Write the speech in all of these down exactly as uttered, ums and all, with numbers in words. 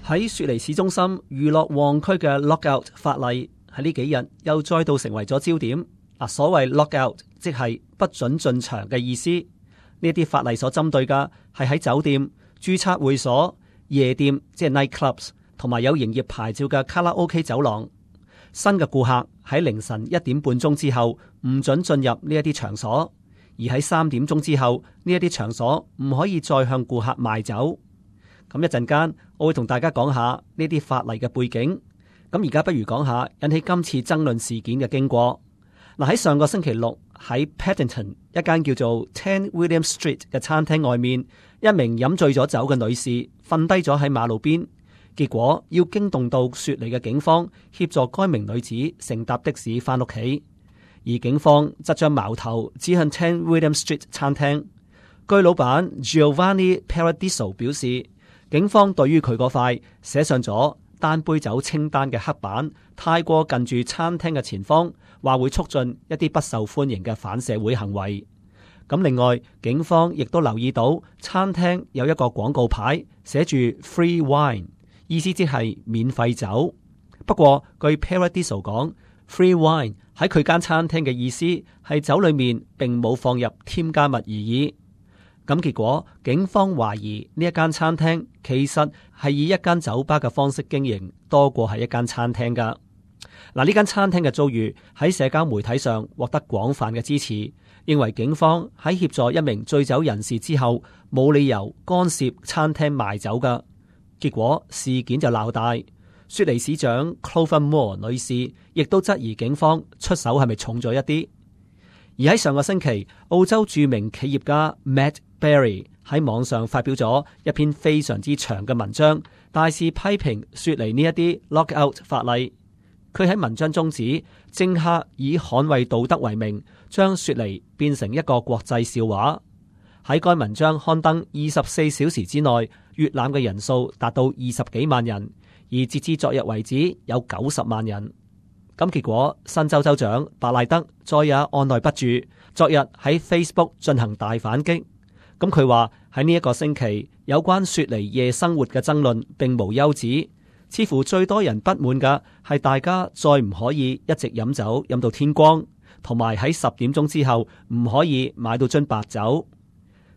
喺雪梨市中心娛樂旺區嘅 lockout 法例喺呢幾日又再度成為咗焦點。嗱，所謂 lockout 即係不准進場嘅意思。呢啲法例所針對嘅係喺酒店、註冊會所、夜店即係 night clubs 同埋有營業牌照嘅卡拉 OK 走廊。新嘅顧客喺凌晨一點半鐘之後唔准進入呢一啲場所，而喺三點鐘之後呢一啲場所唔可以再向顧客賣酒。咁一陣間我會同大家講下呢啲法例嘅背景。咁而家不如講下引起今次爭論事件嘅經過。嗱，喺上個星期六喺 Paddington 一間叫做 Ten William Street 嘅餐廳外面，一名飲醉咗酒嘅女士瞓低咗喺馬路邊，結果要驚動到雪梨嘅警方協助該名女子乘搭的士翻屋企，而警方則將矛頭指向 Ten William Street 餐廳。據老闆 Giovanni Paradiso 表示，警方對於佢嗰塊寫上咗單杯酒清單嘅黑板太過近住餐廳嘅前方，話會促進一啲不受歡迎嘅反社會行為。咁另外，警方亦都留意到餐廳有一個廣告牌寫住 Free Wine， 意思即係免費酒。不過據 Paradiso 講， Free Wine 喺佢間餐廳嘅意思係酒裏面並冇放入添加物而已。咁結果，警方懷疑呢一間餐廳其實係以一間酒吧嘅方式經營，多過係一間餐廳噶。嗱，呢間餐廳嘅遭遇喺社交媒體上獲得廣泛嘅支持，認為警方喺協助一名醉酒人士之後，冇理由干涉餐廳賣酒噶。結果事件就鬧大，雪梨市長 Clover Moore 女士亦都質疑警方出手係咪重咗一啲。而喺上個星期，澳洲著名企業家 Matt Berry 喺網上發表咗一篇非常之長嘅文章，大肆批評雪梨呢一啲 lockout 法例。佢喺文章中指，政客以捍衛道德為名，將雪梨變成一個國際笑話。喺該文章刊登二十四小時之內，閱覽嘅人數達到二十幾萬人，而截至昨日為止有九十萬人。咁結果，新州州長白賴德再也按捺不住，昨日喺 Facebook 進行大反擊。咁佢話喺呢一個星期，有關雪梨夜生活嘅爭論並無休止，似乎最多人不滿嘅係大家再唔可以一直飲酒飲到天光，同埋喺十點鐘之後唔可以買到樽白酒。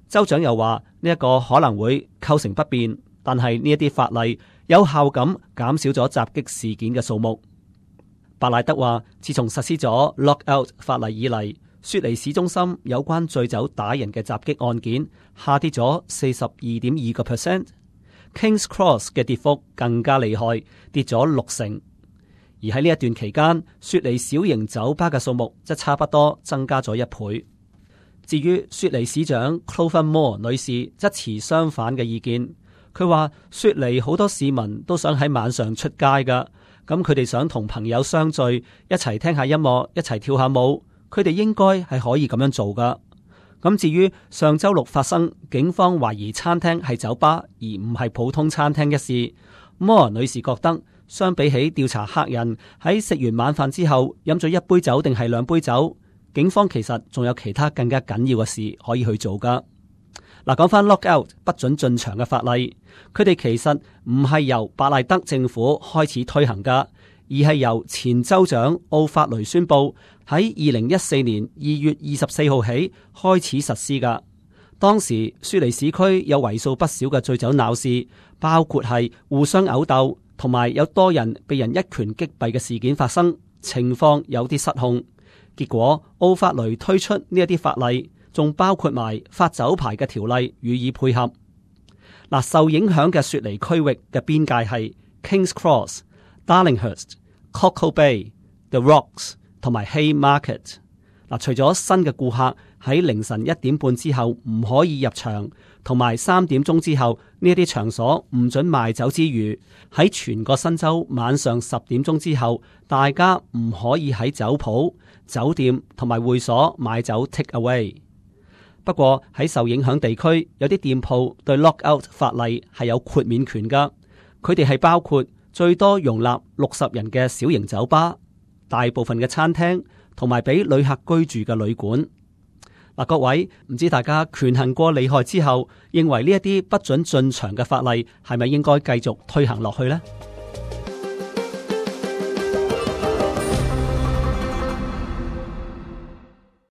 州長又話呢一個可能會構成不便，但係呢一啲法例有效咁減少咗襲擊事件嘅數目。白賴德話，自從實施咗 lockout 法例以嚟，雪梨市中心有關醉酒打人嘅襲擊案件下跌咗四十二點二個 percent，Kings Cross 嘅跌幅更加厲害，跌咗六成。而喺呢一段期間，雪梨小型酒吧嘅數目則差不多增加咗一倍。至於雪梨市長 Clover Moore 女士則持相反嘅意見，佢話雪梨好多市民都想喺晚上出街㗎。咁佢哋想同朋友相聚，一齊聽下音樂，一齊跳下舞，佢哋應該係可以咁樣做噶。咁至於上周六發生警方懷疑餐廳係酒吧而唔係普通餐廳一事，摩爾女士覺得相比起調查客人喺食完晚飯之後飲咗一杯酒定係兩杯酒，警方其實仲有其他更加緊要嘅事可以去做噶。嗱，講翻 lockout 不准進場嘅法例，佢哋其實唔係由白賴德政府開始推行噶，而係由前州長奧法雷宣布喺二零一四年二月二十四號起開始實施噶。當時雪梨市區有為數不少嘅醉酒鬧事，包括係互相毆鬥，同埋有多人被人一拳擊斃嘅事件發生，情況有啲失控。結果奧法雷推出呢一啲法例，仲包括埋發酒牌嘅條例予以配合。嗱，受影響嘅雪梨區域嘅邊界係 Kings Cross、Darlinghurst、Cockle Bay、The Rocks 同埋 Haymarket。嗱，除咗新嘅顧客喺凌晨一點半之後唔可以入場，同埋三點鐘之後呢一啲場所唔准賣酒之餘，喺全個新州晚上十點鐘之後，大家唔可以喺酒鋪、酒店同埋會所買酒 take away。不過喺受影響地區，有啲店鋪對 lockout 法例係有豁免權噶。佢哋係包括最多容納六十人嘅小型酒吧、大部分嘅餐廳同埋俾旅客居住嘅旅館。嗱，各位，唔知大家權衡過利害之後，認為呢一啲不准進場嘅法例係咪應該繼續推行落去呢？